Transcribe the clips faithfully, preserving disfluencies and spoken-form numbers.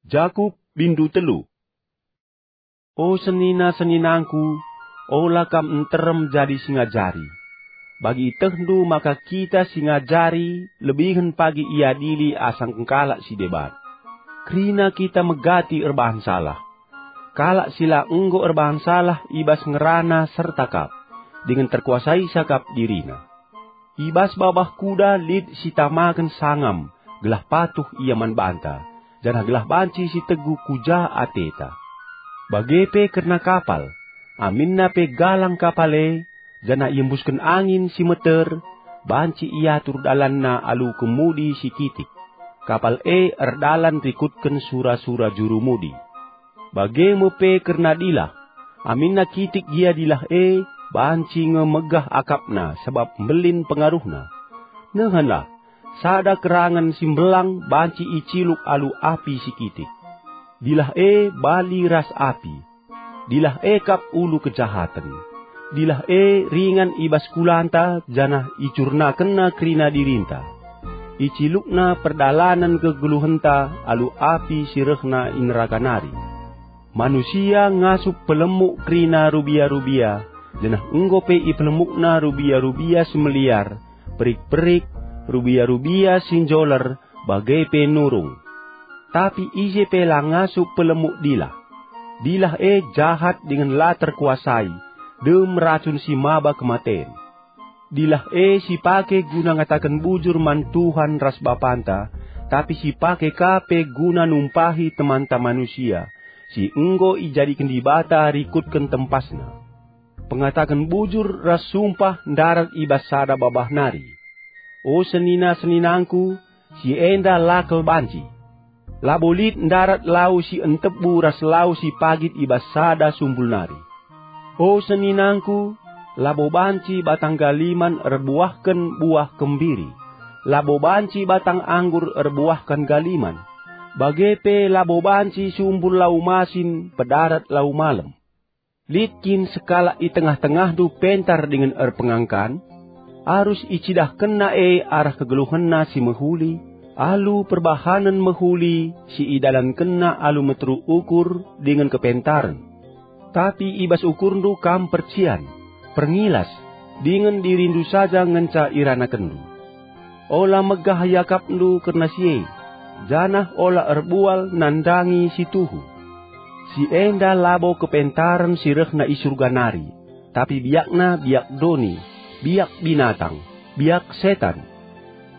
Jakup bindu telu. O senina-seninangku, ola kam nterem jadi si ngajari. Bagi itehndu maka kita si ngajari lebihen pagi iadili asangken kalak si deban. Kerina kita megati erbahan salah. Kalak si la enggo erbahan salah i bas ngerana serta kap, dingen terkuasaisa kap dirina. I bas babah kuda lit si tamaken sangam, gelah patuh ia man banta, janah gelah banci si teguh ku ja ateta. Bage pe kerna kapal, aminna pe galang kapal e, janah iembusken angin si meter, banci iatur dalanna alu kemudi si kitik. Kapal e erdalan rikutken sura-sura jurumudi. Bage me pe kerna dilah, aminna kitik gia dilah e, banci nge megah akapna sabap mbelin pengaruhna. Nehenlah, sada kerangen si mbelang banci iciluk alu api si kitik. Dilah e bali ras api. Dilah e kap ulu kejahaten. Dilah e ringan i bas kulanta janah icurnakenna kerina dirinta. Icilukna perdalanen kegeluhenta alu api si rehna i neraka nari. Manusia ngasup pelemuk kerina rubia-rubia, janah enggo pe ipelemukna rubia-rubia si meliar, perik-perik, rubia-rubia si njoler, bage pe nurung. Tapi ise pe la ngasup pelemuk dilah. Dilah e jahat dingen la terkuasai, dem racun si maba kematen. Dilah e sipake guna ngataken bujur man Tuhan ras Bapanta, tapi sipake ka pe guna numpahi temanta manusia, si enggo ijadiken Dibata rikutken tempasna. Pengataken bujur ras sumpah ndarat i bas sada babah nari. O senina-seninangku, si enda la kal banci. Labo lit ndarat lau si entebu ras lau si pagit i bas sada sumbul nari. O seninangku, labo banci batang galiman erbuahken buah kembiri, labo banci batang anggur erbuahken galiman, bage pe labo banci sumbul lau masin pedarat lau malem. Lit kin sekalak i tengah-tengahndu pentar dingen erpengangkan? Arus icidahkenna e arah kegeluhenna si mehuli, alu perbahanen mehuli si idalankenna alu meteruk ukur dingen kepentaren. Tapi i bas ukurndu kam percian, perngilas, dingen dirindu saja ngenca iranakenndu. Ola megah iakapndu kerna si e, janah ola erbual nandangi si tuhu. Si enda labo kepentaren si rehna i Surga nari, tapi biakna biak doni, biak binatang, biak setan.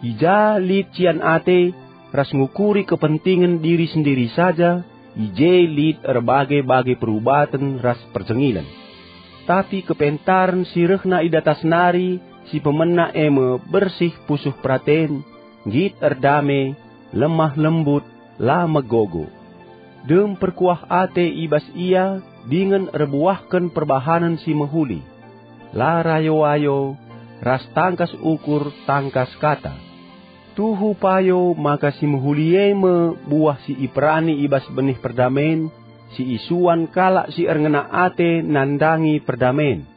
I ja lit cian ate ras ngukuri kepentingen diri sendiri saja, i je lit erbage-bage perubaten ras perjengilen. Tapi kepentaren si rehna i datas nari si pemena e me bersih pusuh peraten, nggit erdame, lemah lembut, la megogo. Dem perkuah ate i bas ia dingen erbuahken perbahanen si mehuli, la rayo-ayo, ras tangkas ukur tangkas kata. Tuhu payo maka si mehuli e me buah si iperani i bas benih perdamen, si isuan kalak si erngena ate nandangi perdamen.